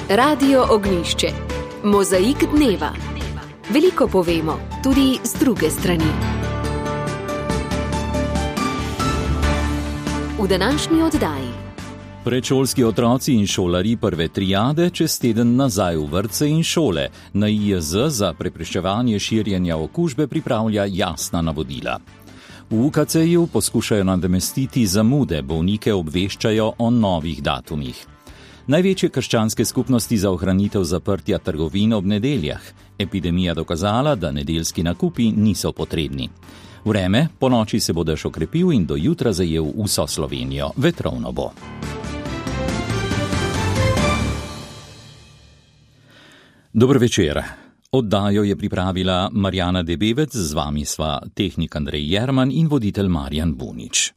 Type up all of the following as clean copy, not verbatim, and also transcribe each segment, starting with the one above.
Radio Ognjišče. Mozaik dneva. Veliko povemo, tudi z druge strani. V današnji oddaji. Predšolski otroci in šolarji prve triade čez teden nazaj v vrtce in šole. Na IJZ za preprečevanje širjenja okužbe pripravlja jasna navodila. V UKC-ju poskušajo nadomestiti zamude, bolnike obveščajo o novih datumih. Največje krščanske skupnosti za ohranitev zaprtja trgovin ob nedeljah. Epidemija dokazala, da nedeljski nakupi niso potrebni. Vreme po noči se bo dež okrepil in do jutra zajel vso Slovenijo. Vetrovno bo. Dober večer. Oddajo je pripravila Marjana Debevec, z vami sva tehnik Andrej Jerman in voditelj Marjan Bunič.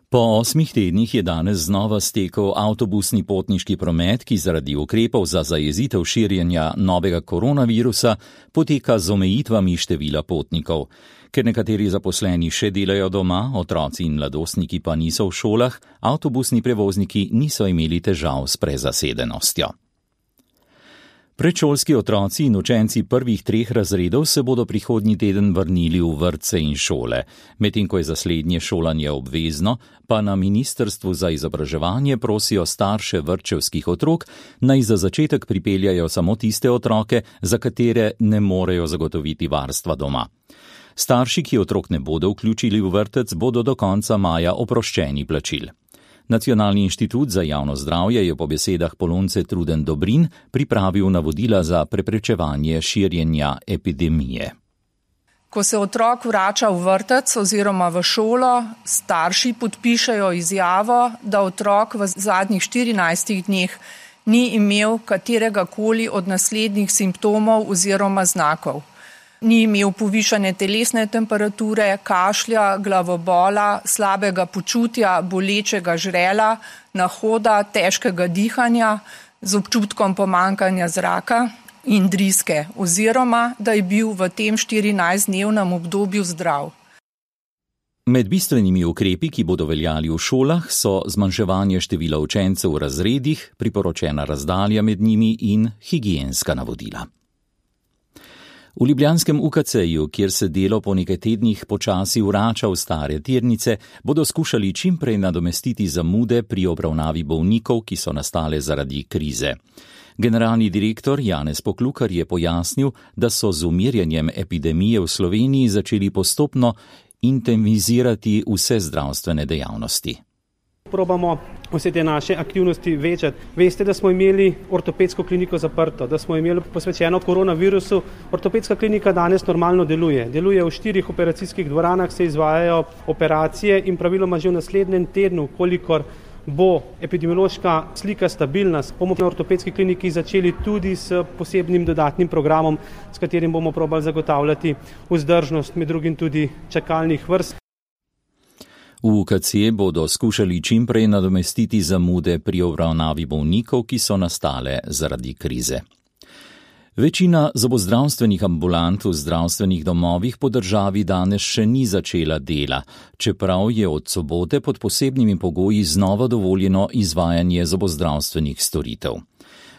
Po 8 tednih je danes znova stekel avtobusni potniški promet, ki zaradi ukrepov za zajezitev širjenja novega koronavirusa poteka z omejitvami števila potnikov. Ker nekateri zaposleni še delajo doma, otroci in mladostniki pa niso v šolah, avtobusni prevozniki niso imeli težav s prezasedenostjo. Predšolski otroci in učenci prvih 3 razredov se bodo prihodnji teden vrnili v vrtce in šole. Medtem ko je za slednje šolanje obvezno, pa na Ministrstvu za izobraževanje prosijo starše vrtčevskih otrok, naj za začetek pripeljajo samo tiste otroke, za katere ne morejo zagotoviti varstva doma. Starši, ki otrok ne bodo vključili v vrtec, bodo do konca maja oproščeni plačil. Nacionalni inštitut za javno zdravje je po besedah Polonce Truden Dobrin pripravil navodila za preprečevanje širjenja epidemije. Ko se otrok vrača v vrtec oziroma v šolo, starši podpišejo izjavo, da otrok v zadnjih 14 dneh ni imel kateregakoli od naslednjih simptomov oziroma znakov. Ni imel povišane telesne temperature, kašlja, glavobola, slabega počutja, bolečega žrela, nahoda, težkega dihanja, z občutkom pomanjkanja zraka in driske, oziroma da je bil v tem 14-dnevnem obdobju zdrav. Med bistvenimi ukrepi, ki bodo veljali v šolah, so zmanjševanje števila učencev v razredih, priporočena razdalja med njimi in higienska navodila. V ljubljanskem UKC-ju, kjer se delo po nekaj tednih počasi vrača v stare tirnice, bodo skušali čim prej nadomestiti zamude pri obravnavi bolnikov, ki so nastale zaradi krize. Generalni direktor Janez Poklukar je pojasnil, da so z umirjanjem epidemije v Sloveniji začeli postopno intenzivizirati vse zdravstvene dejavnosti. Probamo vse te naše aktivnosti večati. Veste, da smo imeli ortopedsko kliniko zaprto, da smo imeli posvečeno koronavirusu. Ortopedska klinika danes normalno deluje. Deluje v 4 operacijskih dvoranah, se izvajajo operacije in praviloma že v naslednjem tednu, kolikor bo epidemiološka slika stabilna, bomo na ortopedski kliniki začeli tudi s posebnim dodatnim programom, s katerim bomo probali zagotavljati vzdržnost, med drugim tudi čakalnih vrst. V UKC bodo skušali čim prej nadomestiti zamude pri obravnavi bolnikov, ki so nastale zaradi krize. Večina zobozdravstvenih ambulant v zdravstvenih domovih po državi danes še ni začela dela, čeprav je od sobote pod posebnimi pogoji znova dovoljeno izvajanje zobozdravstvenih storitev.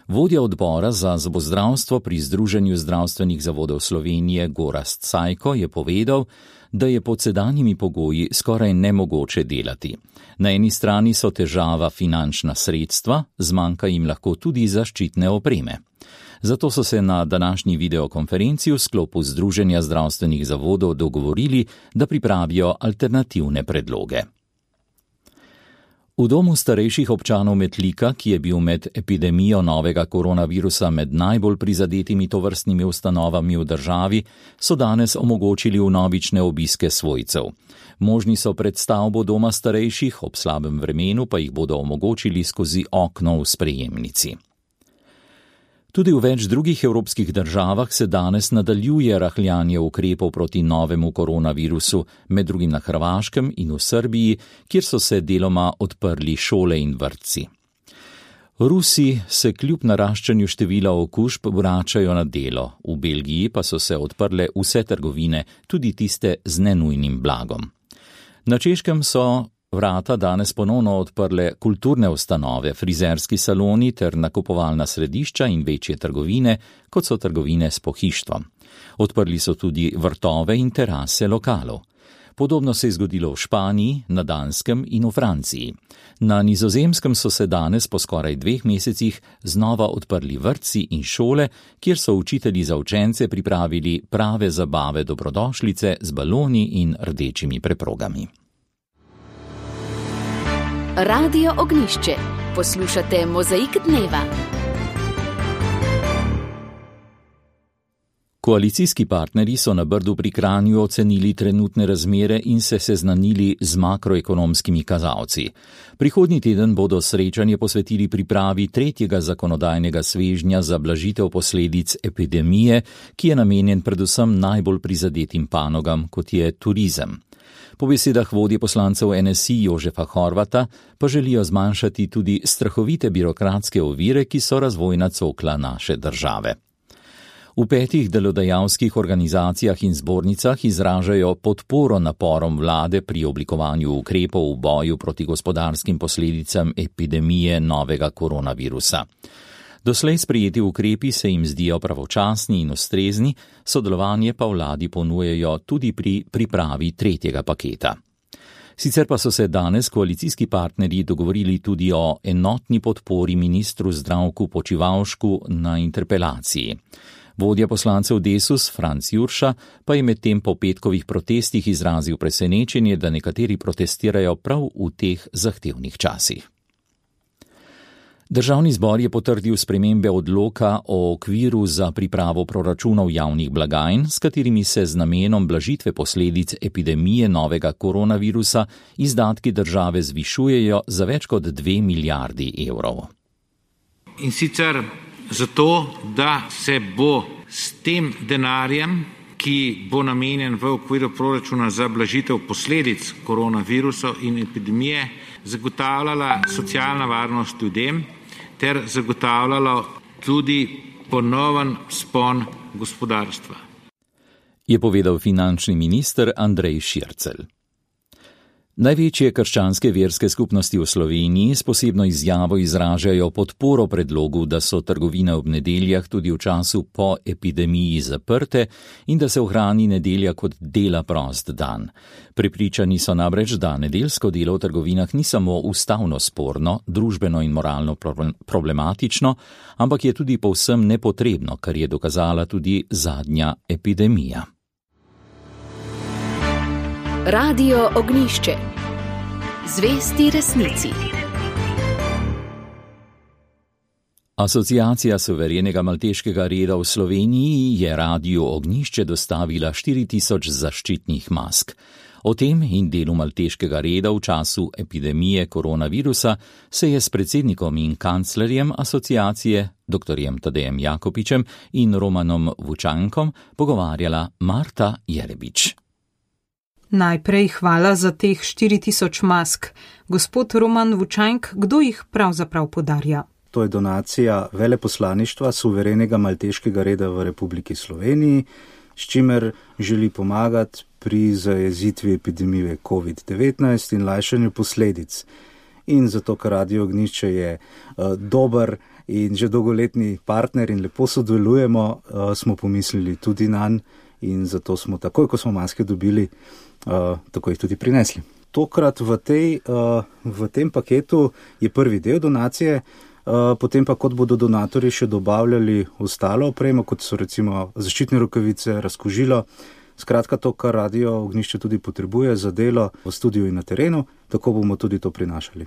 Vodja odbora za zobozdravstvo pri Združenju zdravstvenih zavodov Slovenije Gorazd Cajko je povedal, da je pod sedanjimi pogoji skoraj nemogoče delati. Na eni strani so težava finančna sredstva, zmanjka jim lahko tudi zaščitne opreme. Zato so se na današnji videokonferenci v sklopu Združenja zdravstvenih zavodov dogovorili, da pripravijo alternativne predloge. V domu starejših občanov Metlika, ki je bil med epidemijo novega koronavirusa med najbolj prizadetimi tovrstnimi ustanovami v državi, so danes omogočili vnovične obiske svojcev. Možni so pred stavbo doma starejših, ob slabem vremenu pa jih bodo omogočili skozi okno v sprejemnici. Tudi v več drugih evropskih državah se danes nadaljuje rahljanje ukrepov proti novemu koronavirusu, med drugim na Hrvaškem in v Srbiji, kjer so se deloma odprli šole in vrtci. Rusi se kljub naraščanju števila okužb vračajo na delo, v Belgiji pa so se odprle vse trgovine, tudi tiste z nenujnim blagom. Na Češkem so vrata danes ponovno odprle kulturne ustanove, frizerski saloni ter nakupovalna središča in večje trgovine, kot so trgovine s pohištvom. Odprli so tudi vrtove in terase lokalov. Podobno se je zgodilo v Španiji, na Danskem in v Franciji. Na Nizozemskem so se danes po skoraj 2 mesecih znova odprli vrtci in šole, kjer so učitelji za učence pripravili prave zabave dobrodošlice z baloni in rdečimi preprogami. Radio Ognjišče. Poslušate Mozaik dneva. Koalicijski partnerji so na Brdu pri Kranju ocenili trenutne razmere in se seznanili z makroekonomskimi kazalci. Prihodnji teden bodo srečanje posvetili pripravi 3. zakonodajnega svežnja za blažitev posledic epidemije, ki je namenjen predvsem najbolj prizadetim panogam, kot je turizem. Po besedah vodje poslancev NSI Jožefa Horvata pa želijo zmanjšati tudi strahovite birokratske ovire, ki so razvojna cokla naše države. V 5 delodajalskih organizacijah in zbornicah izražajo podporo naporom vlade pri oblikovanju ukrepov v boju proti gospodarskim posledicam epidemije novega koronavirusa. Doslej sprejeti ukrepi se jim zdijo pravočasni in ustrezni, sodelovanje pa vladi ponujejo tudi pri pripravi 3. paketa. Sicer pa so se danes koalicijski partnerji dogovorili tudi o enotni podpori ministru Zdravku Počivalšku na interpelaciji. Vodja poslancev Desus, Franc Jurša, pa je medtem po petkovih protestih izrazil presenečenje, da nekateri protestirajo prav v teh zahtevnih časih. Državni zbor je potrdil spremembe odloka o okviru za pripravo proračunov javnih blagajn, s katerimi se z namenom blažitve posledic epidemije novega koronavirusa izdatki države zvišujejo za več kot 2 milijardi evrov. In sicer zato, da se bo s tem denarjem, ki bo namenjen v okviru proračuna za blažitev posledic koronavirusa in epidemije, zagotavljala socialna varnost ljudem ter zagotavljalo tudi ponoven vzpon gospodarstva. Je povedal finančni minister Andrej Šircelj. Največje krščanske verske skupnosti v Sloveniji s posebno izjavo izražajo podporo predlogu, da so trgovine ob nedeljah tudi v času po epidemiji zaprte in da se ohrani nedelja kot dela prost dan. Prepričani so namreč, da nedeljsko delo v trgovinah ni samo ustavno sporno, družbeno in moralno problematično, ampak je tudi povsem nepotrebno, kar je dokazala tudi zadnja epidemija. Radio Ognjišče. Zvesti resnici. Asociacija suverenega malteškega reda v Sloveniji je Radiu Ognjišče dostavila 4000 zaščitnih mask. O tem in delu malteškega reda v času epidemije koronavirusa se je s predsednikom in kanclerjem asociacije, dr. Tadejem Jakopičem in Romanom Vučankom pogovarjala Marta Jerebič. Najprej hvala za teh 4000 mask. Gospod Roman Vučank, kdo jih pravzaprav podarja? To je donacija veleposlaništva suverenega malteškega reda v Republiki Sloveniji, s čimer želi pomagati pri zajezitvi epidemije COVID-19 in lajšanju posledic. In zato, ker Radio Ognjišče je dober in že dolgoletni partner in lepo sodelujemo, smo pomislili tudi nanj in zato smo takoj, ko smo maske dobili, tako jih tudi prinesli. Tokrat v tem paketu je prvi del donacije, potem pa kot bodo donatorji še dobavljali ostalo opremo, kot so recimo zaščitne rokavice, razkužilo, skratka to, kar Radio Ognjišče tudi potrebuje za delo v studiu in na terenu, tako bomo tudi to prinašali.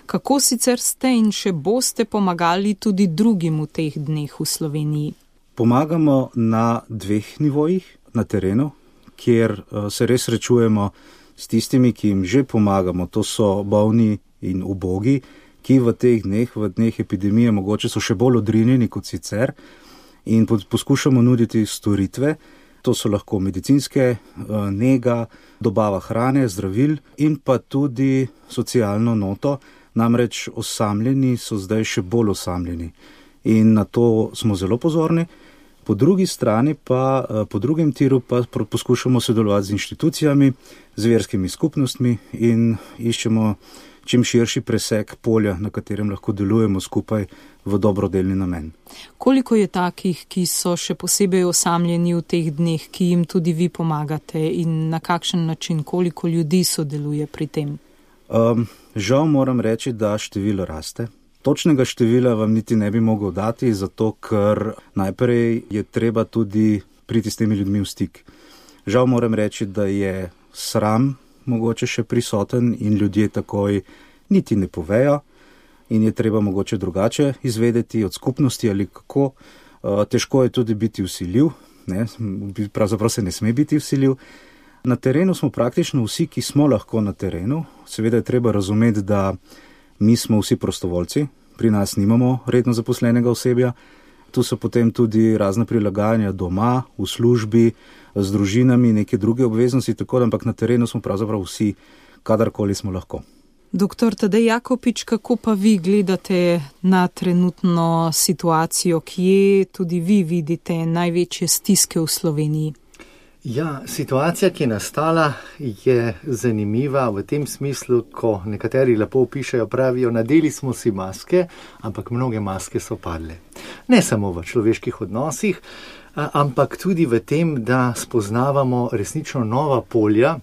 Kako sicer ste in še boste pomagali tudi drugim v teh dneh v Sloveniji? Pomagamo na 2 nivojih na terenu, kjer se res srečujemo s tistimi, ki jim že pomagamo. To so bolni in ubogi, ki v teh dneh, v dneh epidemije, mogoče so še bolj odrinjeni kot sicer in poskušamo nuditi storitve. To so lahko medicinske, nega, dobava hrane, zdravil in pa tudi socialno noto. Namreč osamljeni so zdaj še bolj osamljeni in na to smo zelo pozorni. Po drugi strani pa, po drugem tiru pa poskušamo sodelovati z inštitucijami, z verskimi skupnostmi in iščemo čim širši presek polja, na katerem lahko delujemo skupaj v dobrodelni namen. Koliko je takih, ki so še posebej osamljeni v teh dneh, ki jim tudi vi pomagate in na kakšen način, koliko ljudi sodeluje pri tem? Žal moram reči, da število raste. Točnega števila vam niti ne bi mogel dati, zato ker najprej je treba tudi priti s temi ljudmi v stik. Žal moram reči, da je sram mogoče še prisoten in ljudje takoj niti ne povejo in je treba mogoče drugače izvedeti od skupnosti ali kako. Težko je tudi biti vsiljiv, ne? Pravzaprav se ne sme biti vsiljiv. Na terenu smo praktično vsi, ki smo lahko na terenu. Seveda je treba razumeti, da mi smo vsi prostovoljci, pri nas nimamo redno zaposlenega osebja. Tu so potem tudi razne prilagajanja doma, v službi, z družinami, neke druge obveznosti, tako da, ampak na terenu smo pravzaprav vsi, kadarkoli smo lahko. Doktor Tadej Jakopič, kako pa vi gledate na trenutno situacijo, kje tudi vi vidite največje stiske v Sloveniji? Ja, situacija, ki je nastala, je zanimiva v tem smislu, ko nekateri lepo opišajo, pravijo, nadeli smo si maske, ampak mnoge maske so padle. Ne samo v človeških odnosih, ampak tudi v tem, da spoznavamo resnično nova polja,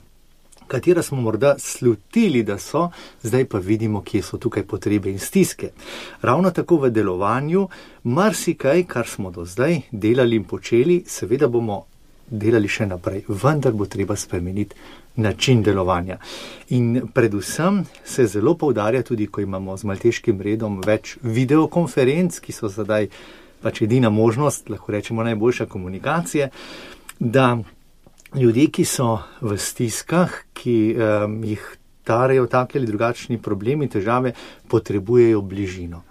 katera smo morda slutili, da so, zdaj pa vidimo, kje so tukaj potrebe in stiske. Ravno tako v delovanju, marsikaj, kar smo do zdaj delali in počeli, seveda bomo delali še naprej, vendar bo treba spremeniti način delovanja. In predvsem se zelo poudarja tudi, ko imamo z Malteškim redom več videokonferenc, ki so zdaj pač edina možnost, lahko rečemo najboljša komunikacije, da ljudje, ki so v stiskah, ki jih tarejo taki ali drugačni problemi, težave, potrebujejo bližino.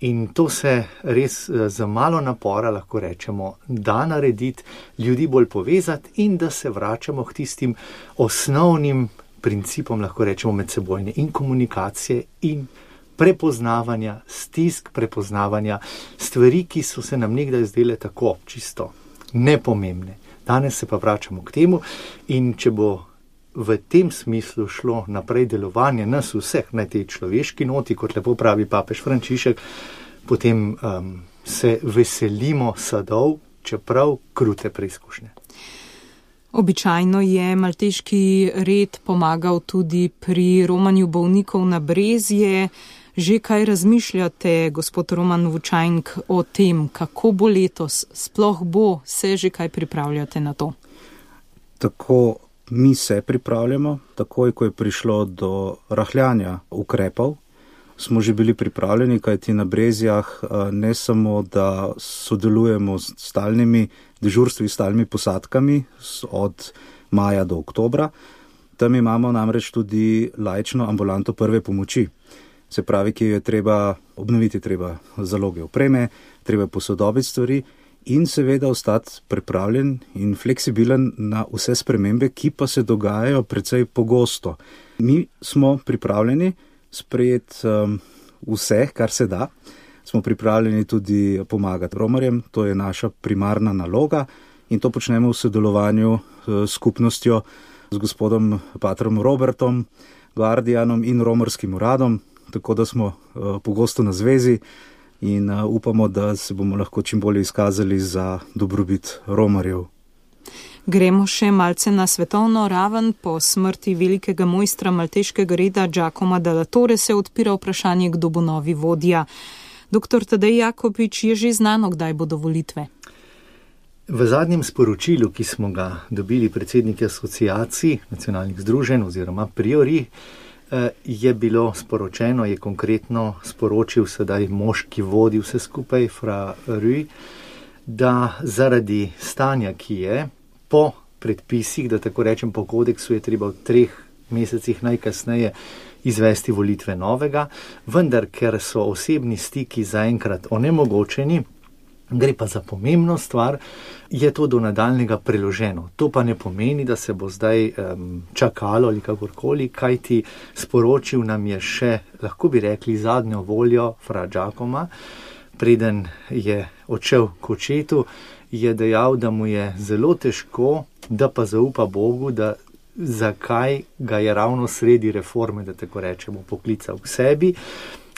In to se res za malo napora, lahko rečemo, da narediti, ljudi bolj povezati in da se vračamo k tistim osnovnim principom, lahko rečemo, medsebojne in komunikacije in prepoznavanja stisk, prepoznavanja stvari, ki so se nam nekdaj zdele tako čisto nepomembne. Danes se pa vračamo k temu in če bo v tem smislu šlo naprej delovanje nas vseh na tej človeški noti, kot lepo pravi papež Frančišek, potem se veselimo sadov, čeprav krute preizkušnje. Običajno je Malteški red pomagal tudi pri romanju bolnikov na Brezje. Že kaj razmišljate, gospod Roman Vučajnk, o tem, kako bo letos, sploh bo, se že kaj pripravljate na to? Tako mi se pripravljamo, takoj ko je prišlo do rahljanja ukrepov, smo že bili pripravljeni, kajti na Brezjah ne samo, da sodelujemo s stalnimi dežurstvi, stalnimi posadkami od maja do oktobra, tam imamo namreč tudi laično ambulanto prve pomoči. Se pravi, ki je treba obnoviti, treba zaloge opreme, treba posodobiti stvari in seveda ostati pripravljen in fleksibilen na vse spremembe, ki pa se dogajajo precej pogosto. Mi smo pripravljeni sprejeti vse, kar se da. Smo pripravljeni tudi pomagati romarjem, to je naša primarna naloga in to počnemo v sodelovanju s skupnostjo, z gospodom patrom Robertom, Guardianom in romarskim uradom, tako da smo pogosto na zvezi in upamo, da se bomo lahko čim bolje izkazali za dobrobit romarjev. Gremo še malce na svetovno raven. Po smrti velikega mojstra Malteškega reda Giacomo della Torre se odpira vprašanje, kdo bo novi vodja. Doktor Tadej Jakopič, je že znano, kdaj bodo volitve? V zadnjem sporočilu, ki smo ga dobili predsedniki asociacij nacionalnih združenj oziroma priori, je bilo sporočeno, je konkretno sporočil sedaj mož, ki vodi vse skupaj, fra Rui, da zaradi stanja, ki je, po predpisih, da tako rečem po kodeksu, je treba v 3 mesecih najkasneje izvesti volitve novega, vendar ker so osebni stiki zaenkrat onemogočeni, gre pa za pomembno stvar, je to do nadaljnega preloženo. To pa ne pomeni, da se bo zdaj čakalo ali kakorkoli, kajti sporočil nam je še, lahko bi rekli, zadnjo voljo fra Giacoma, preden je odšel k očetu, je dejal, da mu je zelo težko, da pa zaupa Bogu, da zakaj ga je ravno sredi reforme, da tako rečemo, poklical k sebi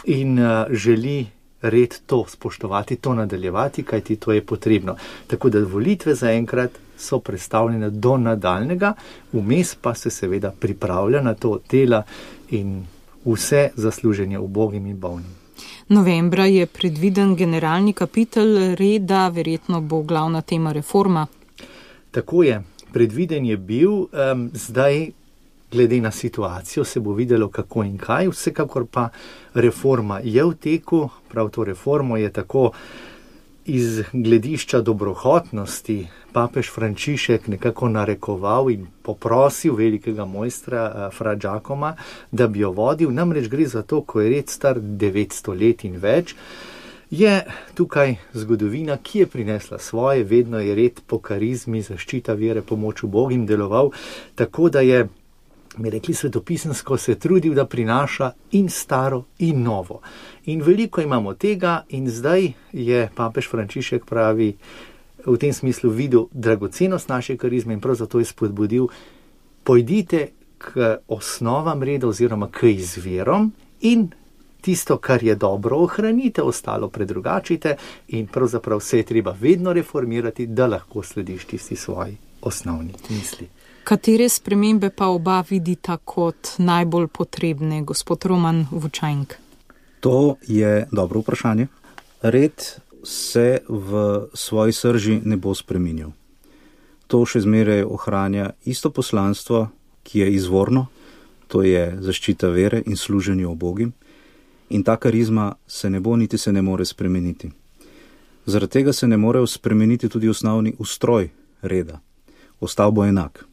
in želi red to spoštovati, to nadaljevati, kajti to je potrebno. Tako da volitve zaenkrat so predstavljene do nadaljnega, vmes pa se seveda pripravlja na to dela in vse zasluženje ubogim in bolnim. Novembra je predviden generalni kapitel reda, verjetno bo glavna tema reforma. Tako je, predviden je bil, zdaj glede na situacijo se bo videlo kako in kaj, vsekakor pa reforma je v teku, prav to reformo je tako iz gledišča dobrohotnosti papež Frančišek nekako narekoval in poprosil velikega mojstra Fra Giacoma, da bi jo vodil, namreč gre za to, ko je red star 900 let in več, je tukaj zgodovina, ki je prinesla svoje, vedno je red po karizmi, zaščita vere, pomoč ubogim deloval, tako da je, mi rekli svetopisemsko, se trudil, da prinaša in staro in novo. In veliko imamo tega in zdaj je papež Frančišek pravi v tem smislu videl dragocenost naše karizme in prav zato je spodbudil, pojdite k osnovam reda oziroma k izvirom in tisto, kar je dobro, ohranite, ostalo predrugačite in pravzaprav se je treba vedno reformirati, da lahko slediš tisti svoji osnovni misli. Katere spremembe pa oba vidita kot najbolj potrebne, gospod Roman Vučajnk? To je dobro vprašanje. Red se v svoji srži ne bo spreminjal. To še zmeraj ohranja isto poslanstvo, ki je izvorno, to je zaščita vere in služenje ubogim. In ta karizma se ne bo niti se ne more spremeniti. Zaradi tega se ne more spremeniti tudi osnovni ustroj reda. Ostal bo enak.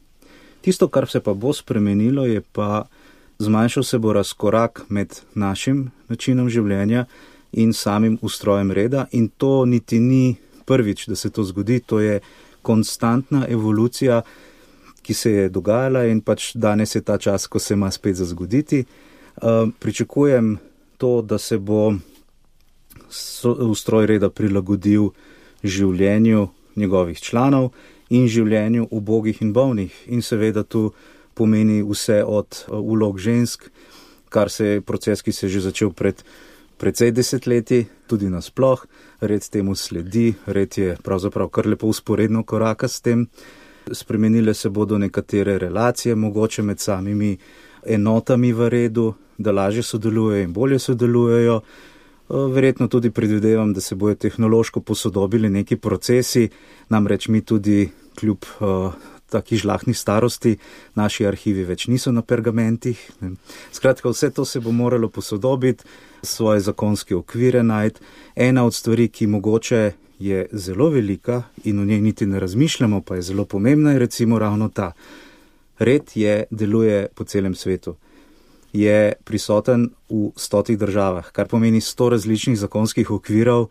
Tisto, kar se pa bo spremenilo, je pa zmanjšal se bo razkorak med našim načinom življenja in samim ustrojem reda in to niti ni prvič, da se to zgodi, to je konstantna evolucija, ki se je dogajala in pač danes je ta čas, ko se ima spet za zgoditi. Pričakujem to, da se bo ustroj reda prilagodil življenju njegovih članov in življenju ubogih in bolnih. In seveda tu pomeni vse od vlog žensk, kar se je proces, ki se je že začel pred precej desetletji, tudi nasploh. Red temu sledi, red je pravzaprav kar lepo usporedno koraka s tem. Spremenile se bodo nekatere relacije, mogoče med samimi enotami v redu, da lažje sodelujejo in bolje sodelujejo. Verjetno tudi predvidevam, da se bojo tehnološko posodobili neki procesi, namreč mi tudi kljub taki žlahni starosti, naši arhivi več niso na pergamentih. Skratka, vse to se bo moralo posodobiti, svoje zakonske okvire najti. Ena od stvari, ki mogoče je zelo velika in o njej niti ne razmišljamo, pa je zelo pomembna, je recimo ravno ta. Red deluje po celem svetu. Je prisoten v 100 državah, kar pomeni 100 različnih zakonskih okvirov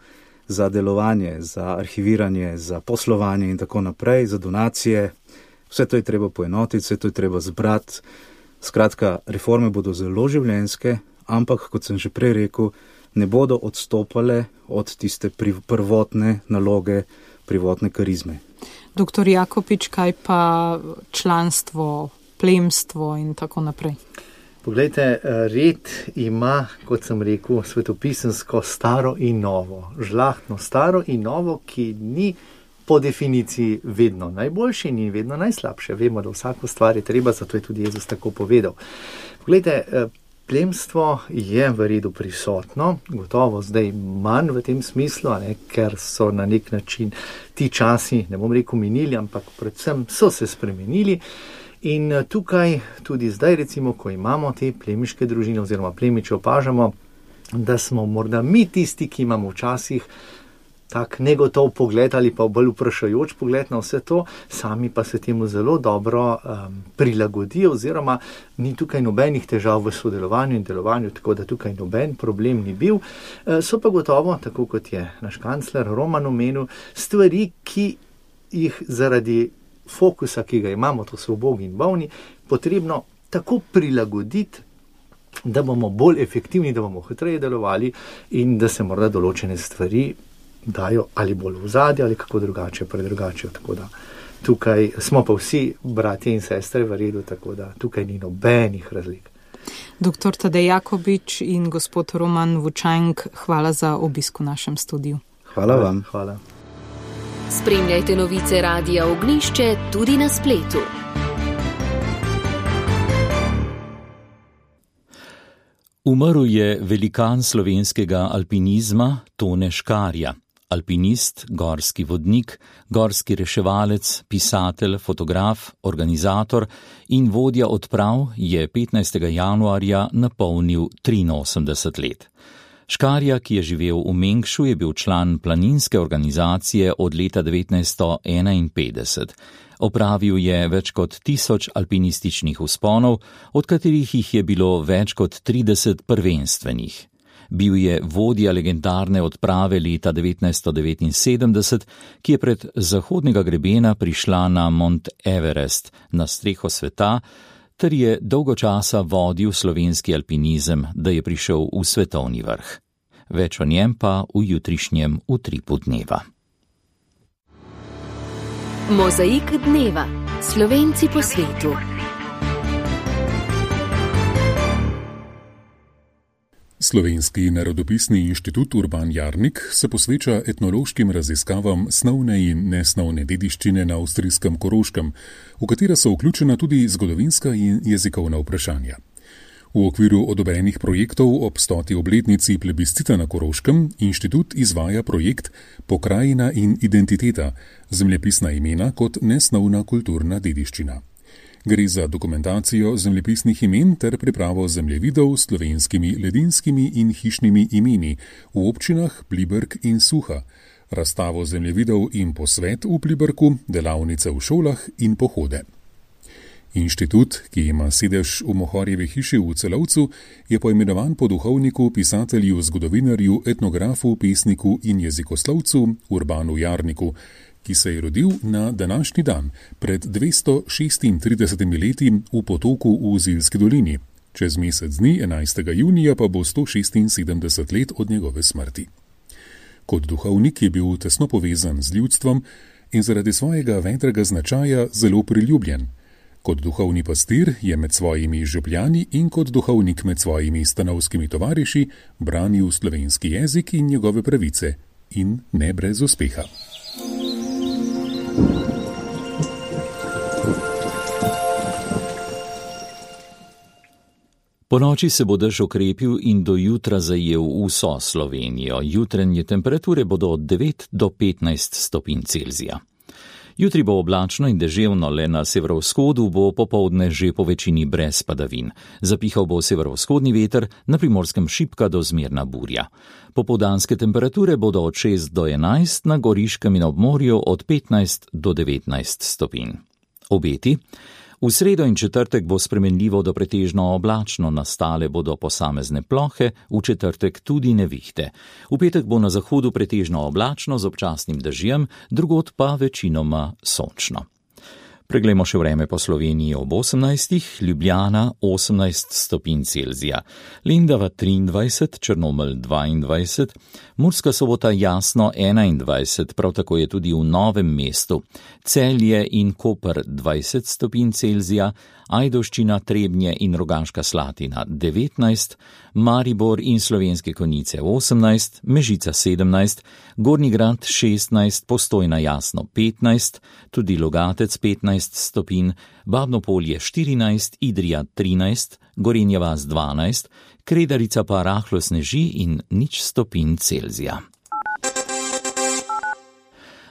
za delovanje, za arhiviranje, za poslovanje in tako naprej, za donacije. Vse to je treba poenotiti, vse to je treba zbrati. Skratka, reforme bodo zelo življenjske, ampak, kot sem že prej rekel, ne bodo odstopale od tiste prvotne naloge, prvotne karizme. Doktor Jakopič, kaj pa članstvo, plemstvo in tako naprej? Poglejte, red ima, kot sem rekel, svetopisemsko staro in novo. Žlahtno staro in novo, ki ni po definiciji vedno najboljše in vedno najslabše. Vemo, da vsako stvar je treba, zato je tudi Jezus tako povedal. Poglejte, plemstvo je v redu prisotno, gotovo zdaj manj v tem smislu, ker so na nek način ti časi, ne bom rekel minili, ampak predvsem so se spremenili. In tukaj tudi zdaj recimo, ko imamo te plemiške družine oziroma plemiče, opažamo, da smo morda mi tisti, ki imamo včasih tak negotov pogled ali pa bolj vprašajoč pogled na vse to, sami pa se temu zelo dobro prilagodijo oziroma ni tukaj nobenih težav v sodelovanju in delovanju, tako da tukaj noben problem ni bil. So pa gotovo, tako kot je naš kancler Roman omenil, stvari, ki jih zaradi fokusa, ki ga imamo, to so ubogi in bolni, potrebno tako prilagoditi, da bomo bolj efektivni, da bomo hitreje delovali in da se morda določene stvari dajo ali bolj v zadje ali kako drugače predrugačijo. Tako da tukaj smo pa vsi bratje in sestre v redu, tako da tukaj ni nobenih razlik. Dr. Tadej Jakobič in gospod Roman Vučajnk, hvala za obisk v našem studiu. Hvala vam. Hvala. Spremljajte novice Radia Ognjišče tudi na spletu. Umrl je velikan slovenskega alpinizma Tone Škarja. Alpinist, gorski vodnik, gorski reševalec, pisatelj, fotograf, organizator in vodja odprav je 15. januarja napolnil 83 let. Škarja, ki je živel v Mengšu, je bil član planinske organizacije od leta 1951. Opravil je več kot 1000 alpinističnih vzponov, od katerih jih je bilo več kot 30 prvenstvenih. Bil je vodja legendarne odprave leta 1979, ki je pred zahodnega grebena prišla na Mont Everest, na streho sveta, ter je dolgo časa vodil slovenski alpinizem, da je prišel v svetovni vrh. Več o njem pa v jutrišnjem Utripu dneva. Mozaik dneva. Slovenci po svetu. Slovenski narodopisni inštitut Urban Jarnik se posveča etnološkim raziskavam snovne in nesnovne dediščine na avstrijskem Koroškem, v katera so vključena tudi zgodovinska in jezikovna vprašanja. V okviru odobrenih projektov ob 100. obletnici plebiscita na Koroškem inštitut izvaja projekt Pokrajina in identiteta, zemljepisna imena kot nesnovna kulturna dediščina. Gre za dokumentacijo zemljepisnih imen ter pripravo zemljevidov s slovenskimi ledinskimi in hišnimi imeni v občinah Pliberk in Suha, razstavo zemljevidov in posvet v Pliberku, delavnice v šolah in pohode. Inštitut, ki ima sedež v Mohorjevi hiši v Celovcu, je poimenovan po duhovniku, pisatelju, zgodovinarju, etnografu, pesniku in jezikoslovcu Urbanu Jarniku, ki se je rodil na današnji dan pred 236 leti v Potoku v Zilski dolini. Čez mesec dni, 11. junija, pa bo 176 let od njegove smrti. Kot duhovnik je bil tesno povezan z ljudstvom in zaradi svojega vedrega značaja zelo priljubljen. Kot duhovni pastir je med svojimi župljani in kot duhovnik med svojimi stanovskimi tovariši branil slovenski jezik in njegove pravice, in ne brez uspeha. Po noči se bo dež okrepil in do jutra zajel vso Slovenijo. Jutrenje temperature bodo od 9 do 15 stopinj Celzija. Jutri bo oblačno in deževno, le na severovzhodu bo popoldne že po večini brez padavin. Zapihal bo severovzhodni veter, na Primorskem šibka do zmerna burja. Popoldanske temperature bodo od 6 do 11, na Goriškem in obmorju od 15 do 19 stopinj. Obeti. V sredo in četrtek bo spremenljivo do pretežno oblačno, nastale bodo posamezne plohe, v četrtek tudi nevihte. V petek bo na zahodu pretežno oblačno z občasnim dežjem, drugod pa večinoma sončno. Preglejmo še vreme po Sloveniji ob 18. Ljubljana 18 stopinj Celzija, Lendava 23, Črnomelj 22, Murska Sobota jasno 21, prav tako je tudi v Novem mestu, Celje in Koper 20 stopinj Celzija, Ajdovščina, Trebnje in Rogaška Slatina 19, Maribor in Slovenske Konjice 18, Mežica 17, Gornji Grad 16, Postojna jasno 15, tudi Logatec 15 stopinj, Babno Polje 14, Idrija 13, Gorenja vas 12, Kredarica pa rahlo sneži in 0 stopinj Celzija.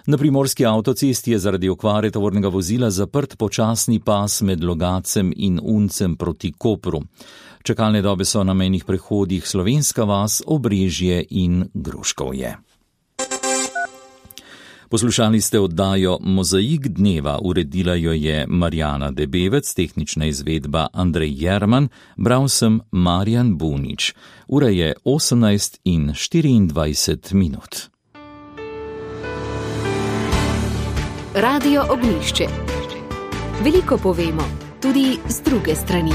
Na primorski avtocesti je zaradi okvare tovornega vozila zaprt počasni pas med Logacem in Uncem proti Kopru. Čakalne dobe so na mejnih prehodih Slovenska vas, Obrežje in Gruškovje. Poslušali ste oddajo Mozaik dneva, uredila jo je Marjana Debevec, tehnična izvedba Andrej Jerman, bral sem Marjan Bunič. Ura je 18:24. Radio Ognjišče. Veliko povemo, tudi z druge strani.